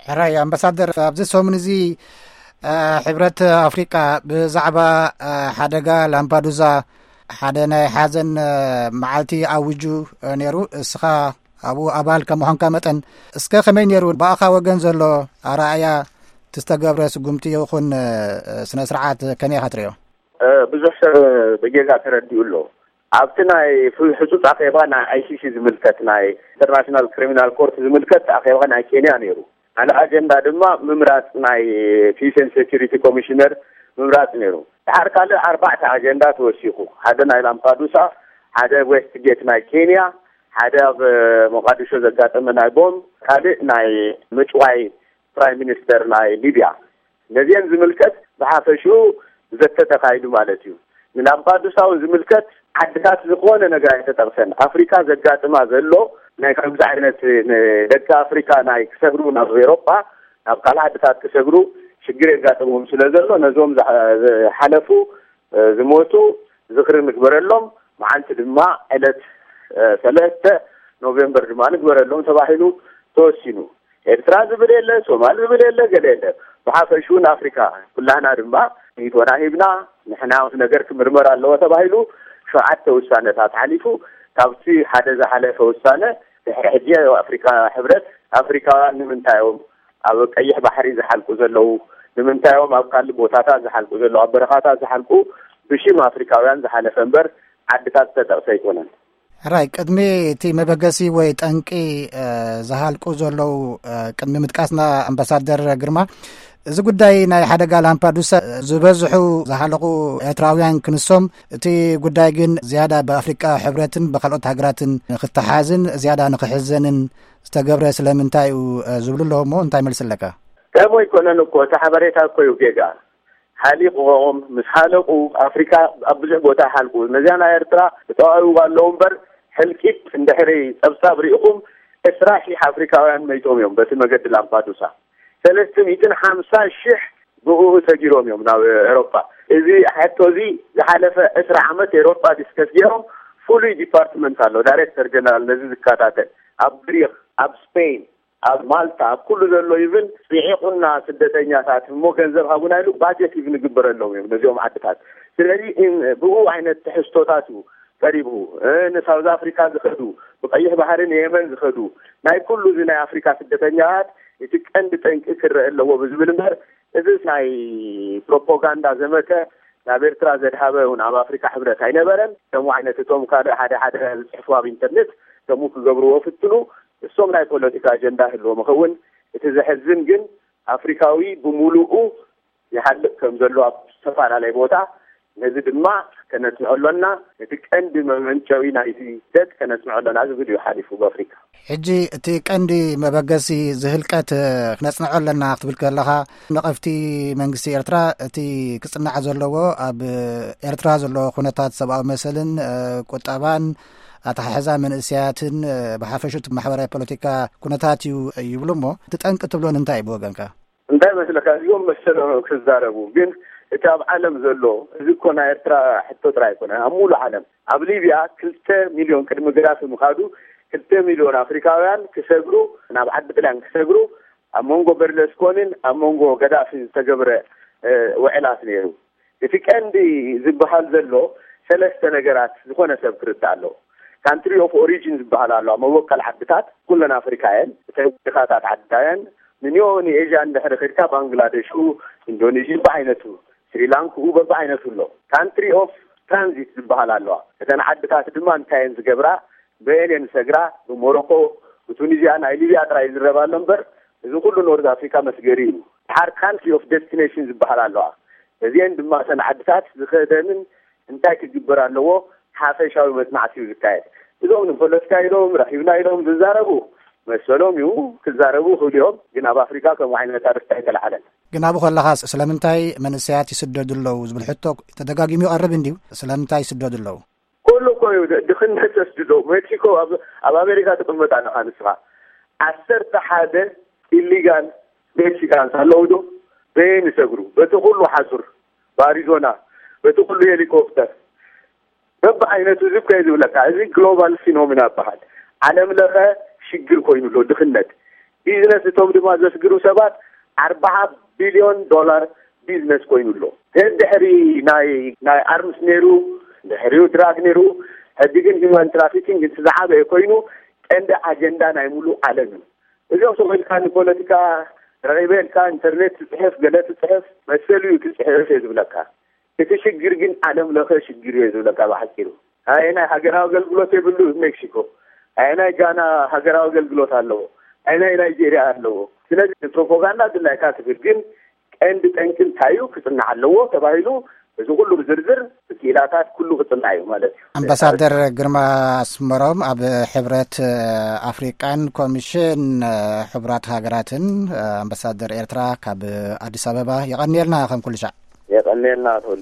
ሕራይ ኣምባሳደር፣ ኣብዚ ሰሙን እዚ፣ እ፣ ሕብረት ኣፍሪቃ ብዛዕባ፣ እ፣ ሓደጋ ላምፓዱዛ ሓደ ናይ ሓዘን፣ እ፣ መዓልቲ ኣዊጁ፣ እ፣ ነይሩ። እስኻ ኣብኡ ኣባል ከም ምዃንካ መጠን፣ እስከ ከመይ ነይሩ ብኣኻ ወገን ዘሎ ኣረኣእያ፣ እቲ ዝተገብረ ስጉምቲ ይኹን፣ እ፣ ስነ ስርዓት ከመይ ኢኻ ትሪኦ? እ፣ ብዙሕ ሰብ ብጌጋ ተረዲኡ ኣሎ። ኣብቲ ናይ ፍ-፣ ህጹጽ ኣኼባ ናይ ኣይ ሲ ሲ ዝምልከት፣ ናይ ኢንተርናሽናል ክሪሚናል ኮርት ዝምልከት ኣኼባ ናይ ኬንያ ነይሩ። ካልእ ኣጀንዳ ድማ ምምራጽ ናይ ፒስ ኤንድ ሴኩሪቲ ኮሚሽነር ምምራጽ ነይሩ። ድሓር ካልእ ኣርባዕተ ኣጀንዳ ተወሲኹ። ሓደ ናይ ላምፓዱሳ፣ ሓደ ዌስት ጌት ናይ ኬንያ፣ ሓደ ኣብ ሞቃዲሾ ዘጋጠመ ናይ ቦምብ፣ ካልእ ናይ ምጭዋይ ፕራይም ሚኒስተር ናይ ሊብያ። ነዚአን ዝምልከት ብሓፈሽኡ ዘተ ተኻይዱ ማለት እዩ። ንላምፓዱሳ እውን ዝምልከት ዓድታት ዝኾነ ነገር ኣይተጠቕሰን። ኣፍሪካ ዘጋጥማ ዘሎ ናይ ከምዚ ዓይነት ንደቂ ኣፍሪካ ናይ ክሰግሩ ናብ ኤሮጳ፣ ናብ ካልእ ዓድታት ክሰግሩ ሽግር የጋጥምዎም ስለ ዘሎ፣ ነዞም ዝሓ-፣ ዝሓለፉ፣ እ፣ ዝሞቱ ዝኽሪ ንግበረሎም። መዓልቲ ድማ ዕለት፣ እ፣ ሰለስተ ኖቬምበር ድማ ንግበረሎም ተባሂሉ ተወሲኑ። ኤርትራ ዝብል የለ፣ ሶማል ዝብል የለ፣ ገለ የለ። ብሓፈሽኡ ንኣፍሪካ ኩላህና ድማ ሪኢቶና ሂብና፣ ንሕና ነገር ክምርመር ኣለዎ ተባሂሉ ሸውዓተ ውሳነታት ሓሊፉ፣ ካብቲ ሓደ ዝሓለፈ ውሳነ ድሕሪ ሕጂ ኣፍሪካ ሕብረት ኣፍሪካውያን ንምንታይ እዮም ኣብ ቀይሕ ባሕሪ ዝሓልቁ ዘለዉ? ንምንታይ እዮም ኣብ ካልእ ቦታታት ዝሓልቁ ዘለዉ? ኣብ በረኻታት ዝሓልቁ ብሽም ኣፍሪካውያን ዝሓለፈ እምበር ዓድታት ዝተጠቕሰ ኣይኮነን። ሕራይ፣ ቅድሚ እቲ መበገሲ ወይ ጠንቂ፣ እ፣ ዝሃልቁ ዘለዉ፣ እ፣ ቅድሚ ምጥቃስና፣ ኣምባሳደር ግርማ፣ እዚ ጉዳይ ናይ ሓደጋ ላምፓዱሳ፣ ዝበዝሑ ዝሃለቑ ኤርትራውያን ክንሶም፣ እቲ ጉዳይ ግን ዝያዳ ብኣፍሪቃ ሕብረትን ብካልኦት ሃገራትን ንክተሓዝን ዝያዳ ንክሕዘንን ዝተገብረ ስለምንታይ እዩ፣ እ፣ ዝብሉ ኣለዉ እሞ፣ እንታይ መልሲ ኣለካ? ከም ኣይኮነን እኮ፣ እቲ ሓበሬታ እኮ እዩ ጌጋ። ሓሊቑዎም፣ ምስ ሓለቑ፣ ኣፍሪካ ኣብ ብዙሕ ቦታ ይሓልቁ። ነዚኣ ናይ ኤርትራ ተጠዋዊዋ ኣለዉ እምበር፣ ሕልቂት እንድሕሪ ጸብጻብ ሪኢኹም፣ ዕስራ ሺሕ ኣፍሪካውያን መይቶም እዮም በቲ መገዲ ላምፓዱሳ። ሰለስተ ሚእትን ሓምሳ ሺሕ ብእኡ ሰጊሮም እዮም ናብ ኤሮጳ። እዚ ሕቶ እዚ ዝሓለፈ ዕስራ ዓመት ኤሮጳ ዲስከስ ገይሮም፣ ፍሉይ ዲፓርትመንት ኣሎ፣ ዳይሬክተር ጀነራል ነዚ ዝከታተል፣ ኣብ ግሪክ፣ ኣብ ስፔን፣ ኣብ ማልታ፣ ኣብ ኩሉ ዘሎ ኢቭን ጽዒቑና ስደተኛታት እሞ ገንዘብ ሃቡና ኢሉ ባጀት ኢቭን ይግበረሎም እዮም ነዚኦም ዓድታት። ስለዚ እን-፣ ብኡ ዓይነት ትሕዝቶታት እዩ ቀሪቡ። እ፣ ንሳውዝ ኣፍሪካ ዝኸዱ፣ ብቀይሕ ባሕሪ ንየመን ዝኸዱ፣ ናይ ኩሉ እዚ ናይ ኣፍሪካ ስደተኛታት እቲ ቀንዲ ጠንቂ ክረአ ኣለዎ ብዝብል እምበር፣ እዚ ናይ ፕሮፓጋንዳ ዘመተ ናብ ኤርትራ ዘድሃበ እውን ኣብ ኣፍሪካ ሕብረት ኣይነበረን። ከምኡ ዓይነት እቶም ካልእ ሓደ ሓደ ዝጽሕፉ ኣብ ኢንተርኔት ከምኡ ክገብርዎ ፍትኑ። እሶም ናይ ፖለቲካ ኣጀንዳ ህልዎም ይኸውን። እቲ ዘሕዝን ግን ኣፍሪካዊ ብምሉኡ ይሃልቅ ከም ዘሎ ኣብ ዝተፈላለየ ቦታ፣ ነዚ ድማ ከነጽንዖ ኣሎና። እቲ ቀንዲ መመንጨዊ ናይቲ ስደት ከነጽንዖ ኣሎና ዝብል እዩ ሓሊፉ ብኣፍሪካ። ሕጂ እቲ ቀንዲ መበገሲ ዝህልቀት ክነጽንዖ ኣለና ክትብል ከለኻ፣ ነቐፍቲ መንግስቲ ኤርትራ እቲ ክጽናዕ ዘለዎ ኣብ ኤርትራ ዘሎ ኩነታት ሰብኣዊ መሰልን፣ እ፣ ቁጠባን ኣተሓሕዛ መንእሰያትን፣ እ፣ ብሓፈሹ እቲ ማሕበራዊ ፖለቲካ ኩነታት እዩ ይብሉ እሞ፣ እቲ ጠንቂ ትብሎ እንታይ እዩ ብወገንካ? እንታይ መስለካ፣ እዚኦም መሰሎም ክዛረቡ፣ ግን እቲ ኣብ ዓለም ዘሎ፣ እዚ እኮ ናይ ኤርትራ ሕቶ ጥራይ ኣይኮነን፣ ኣብ ሙሉእ ዓለም፣ ኣብ ሊብያ ክልተ ሚልዮን ቅድሚ ገዳፊ ምኻዱ፣ ክልተ ሚልዮን ኣፍሪካውያን ክሰግሩ፣ ናብ ዓዲ ጥልያን ክሰግሩ፣ ኣብ መንጎ በርለስኮንን ኣብ መንጎ ገዳፊን ዝተገብረ፣ እ፣ ውዕላት ነይሩ። እቲ ቀንዲ ዝበሃል ዘሎ ሰለስተ ነገራት ዝኾነ ሰብ ክርዳእ ኣለዎ። ካንትሪ ኦፍ ኦሪጂን ዝበሃል ኣሎ፣ መበቆል ዓድታት ኩለን ኣፍሪካ እየን። እተን ድኻታት ዓድታት እየን። ንኒዮ ንኤዥያ እንድሕሪ ከድካ ባንግላደሹ፣ ኢንዶኔዥያ በብዓይነቱ፣ ስሪላንክኡ በብዓይነቱ ኣሎ። ካንትሪ ኦፍ ትራንዚት ዝበሃል ኣለዋ። እተን ዓድታት ድማ እንታይ እየን ዝገብራ? በየን እየን ዝሰግራ? ብሞሮኮ፣ ብቱኒዝያ፣ ናይ ሊብያ ጥራይ ይዝረብ ኣሎ እምበር፣ እዚ ኩሉ ኖርዝ ኣፍሪካ መስገሪ እዩ። ድሓር ካንትሪ ኦፍ ዴስቲኔሽን ዝበሃል ኣለዋ። እዚአን ድማ እተን ዓድታት ዝኸደንን እንታይ ክግበር ኣለዎ ሓፈሻዊ መጽናዕቲ እዩ ዝካየድ። እዞም ንፖለቲካ ኢሎም ረኺብና ኢሎም ዝዛረቡ መሰሎም እዩ፣ ክዛረቡ ይኽእሉ እዮም። ግን ኣብ ኣፍሪካ ከምኡ ዓይነት ኣርእስቲ ኣይተለዓለን። ግን ኣብኡ ከለኻ ስለምንታይ መንእሰያት ይስደዱ ኣለዉ ዝብል ሕቶ ተደጋጊሙ ይቐርብ እንድዩ። ስለምንታይ ይስደዱ ኣለዉ? ኩሉ እኮ እዩ ድ-፣ ድኽነት ዘስድዶ። ሜክሲኮ ኣብ፣ ኣብ ኣሜሪካ ትቕመጥ ኣለኻ ንስኻ። ዓሰርተ ሓደ ኢሊጋል ሜክሲካንስ ኣለዉ ዶ? በየን ይሰግሩ? በቲ ኩሉ ሓጹር፣ ብኣሪዞና፣ በቲ ኩሉ ሄሊኮፕተር፣ በብዓይነቱ እዚ እኮ እየ ዝብለካ። እዚ ግሎባል ፊኖሚና ይበሃል። ዓለም ለኸ ሽግር ኮይኑ ኣሎ ድኽነት። ቢዝነስ እቶም ድማ ዘስግሩ ሰባት ኣርባዓ ቢልዮን ዶላር ቢዝነስ ኮይኑ ኣሎ። ድሕሪ ናይ ናይ ኣርምስ ነይሩ፣ ድሕሪኡ ድራግ ነይሩ። ሕጂ ግን ሂማን ትራፊኪንግ እቲ ዝዓበየ ኮይኑ ቀንዲ ኣጀንዳ ናይ ሙሉእ ዓለም እዩ። እዚኦም ሰው ኢልካ ንፖለቲካ ረቂበ ኢልካ ኢንተርኔት ትፅሕፍ፣ ገለ ትፅሕፍ፣ መሰሉ እዩ ትፅሕፍ እየ ዝብለካ። እቲ ሽግር ግን ዓለም ለኸ ሽግር እየ ዝብለካ ብሓፂሩ። ኣየናይ ሃገራዊ ኣገልግሎት የብሉ ሜክሲኮ? ኣየናይ ጋና ሃገራዊ ኣገልግሎት ኣለዎ? ኣየናይ ናይጄርያ ኣለዎ? ስለዚ ፕሮፓጋንዳ ድላይካ ትብል፣ ግን ቀንዲ ጠንቂ እንታይ እዩ ክፅናዕ ኣለዎ ተባሂሉ፣ እዚ ኩሉ ብዝርዝር ብክኢላታት ኩሉ ክፅናዕ እዩ ማለት እዩ። ኣምባሳደር ግርማ ኣስመሮም ኣብ ሕብረት ኣፍሪቃን ኮሚሽን ሕቡራት ሃገራትን ኣምባሳደር ኤርትራ ካብ ኣዲስ ኣበባ፣ የቐንየልና ከም ኩሉ ሻዕ። የቐንየልና ተወልደ።